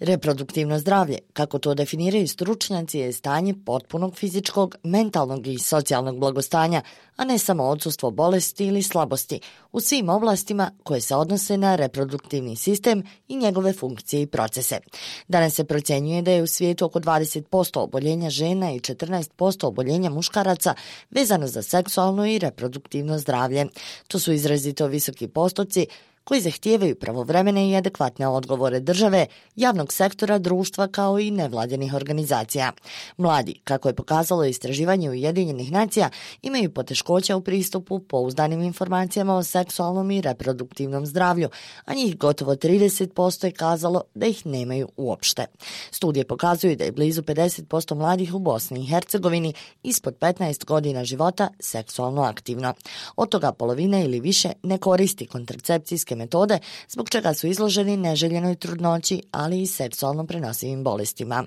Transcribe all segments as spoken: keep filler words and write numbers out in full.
Reproduktivno zdravlje, kako to definiraju stručnjaci, je stanje potpunog fizičkog, mentalnog i socijalnog blagostanja, a ne samo odsustvo bolesti ili slabosti, u svim oblastima koje se odnose na reproduktivni sistem i njegove funkcije i procese. Danas se procjenjuje da je u svijetu oko dvadeset posto oboljenja žena i četrnaest posto oboljenja muškaraca vezano za seksualno i reproduktivno zdravlje. To su izrazito visoki postoci koji zahtijevaju pravovremene i adekvatne odgovore države, javnog sektora, društva kao i nevladinih organizacija. Mladi, kako je pokazalo istraživanje Ujedinjenih nacija, imaju poteškoća u pristupu pouzdanim informacijama o seksualnom i reproduktivnom zdravlju, a njih gotovo trideset posto je kazalo da ih nemaju uopšte. Studije pokazuju da je blizu pedeset posto mladih u Bosni i Hercegovini ispod petnaest godina života seksualno aktivno. Od toga polovina ili više ne koristi kontracepcijske metode, zbog čega su izloženi neželjenoj trudnoći, ali i seksualno prenosivim bolestima.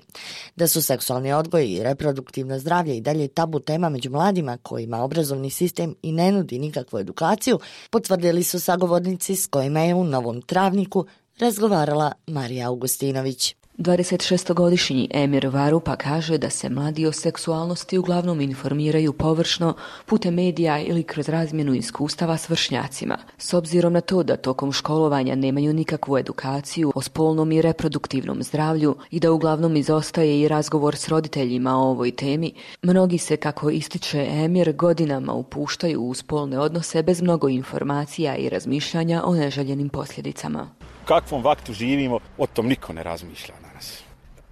Da su seksualni odgoj i reproduktivno zdravlje i dalje tabu tema među mladima kojima obrazovni sistem i ne nudi nikakvu edukaciju, potvrdili su sagovornici s kojima je u Novom Travniku razgovarala Marija Augustinović. dvadesetšestogodišnji Emir Varupa kaže da se mladi o seksualnosti uglavnom informiraju površno putem medija ili kroz razmjenu iskustava s vršnjacima. S obzirom na to da tokom školovanja nemaju nikakvu edukaciju o spolnom i reproduktivnom zdravlju i da uglavnom izostaje i razgovor s roditeljima o ovoj temi, mnogi se, kako ističe Emir, godinama upuštaju u spolne odnose bez mnogo informacija i razmišljanja o neželjenim posljedicama. U kakvom vaktu živimo, o tom niko ne razmišlja danas.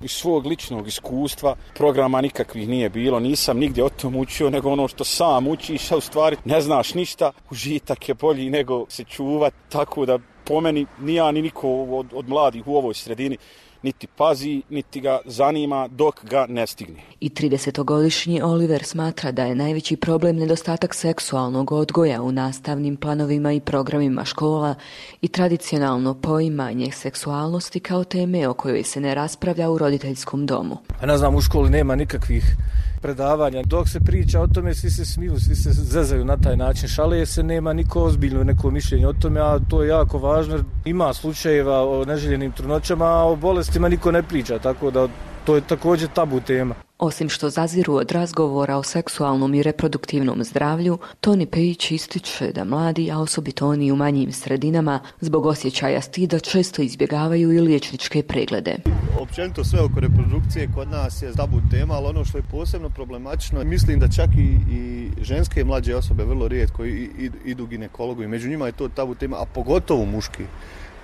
Iz svog ličnog iskustva programa nikakvih nije bilo, nisam nigdje o tom učio, nego ono što sam učiš, a u stvari ne znaš ništa, užitak je bolji nego se čuvat, tako da po meni ni ja ni niko od, od mladih u ovoj sredini niti pazi, niti ga zanima dok ga ne stigne. I tridesetogodišnji Oliver smatra da je najveći problem nedostatak seksualnog odgoja u nastavnim planovima i programima škola i tradicionalno poimanje seksualnosti kao teme o kojoj se ne raspravlja u roditeljskom domu. Ja ne znam, u školi nema nikakvih predavanja. Dok se priča o tome, svi se smiju, svi se zezaju na taj način. Šale se, nema niko ozbiljno neko mišljenje o tome, a to je jako važno. Ima slučajeva o neželjenim trudnoćama, a o bolestima niko ne priča, tako da to je također tabu tema. Osim što zaziru od razgovora o seksualnom i reproduktivnom zdravlju, Toni Pejić ističe da mladi, a osobito oni u manjim sredinama, zbog osjećaja stida često izbjegavaju i liječničke preglede. Općenito sve oko reprodukcije kod nas je tabu tema, ali ono što je posebno problematično, mislim da čak i, i ženske i mlađe osobe vrlo rijetko idu ginekologu i među njima je to tabu tema, a pogotovo muški.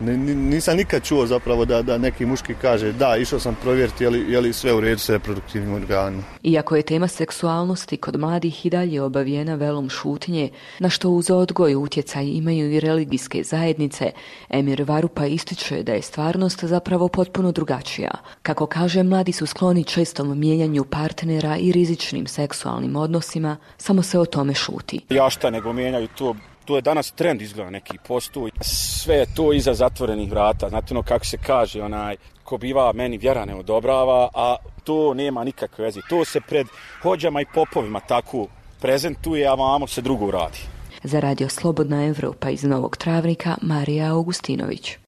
Nisam nikad čuo zapravo da, da neki muški kaže da, išao sam provjeriti je li, je li sve u redu s reproduktivnim organom. Iako je tema seksualnosti kod mladih i dalje obavijena velom šutnje, na što uz odgoj utjecaj imaju i religijske zajednice, Emir Varupa ističe da je stvarnost zapravo potpuno drugačija. Kako kaže, mladi su skloni čestom mijenjanju partnera i rizičnim seksualnim odnosima, samo se o tome šuti. Ja šta nego mijenjaju to. To je danas trend, izgleda neki postoji. Sve je to iza zatvorenih vrata. Znate ono kako se kaže, onaj ko biva meni vjera ne odobrava, a to nema nikakve veze. To se pred hođama i popovima tako prezentuje, a vamo se drugo radi. Za Radio Slobodna Evropa iz Novog Travnika, Marija Augustinović.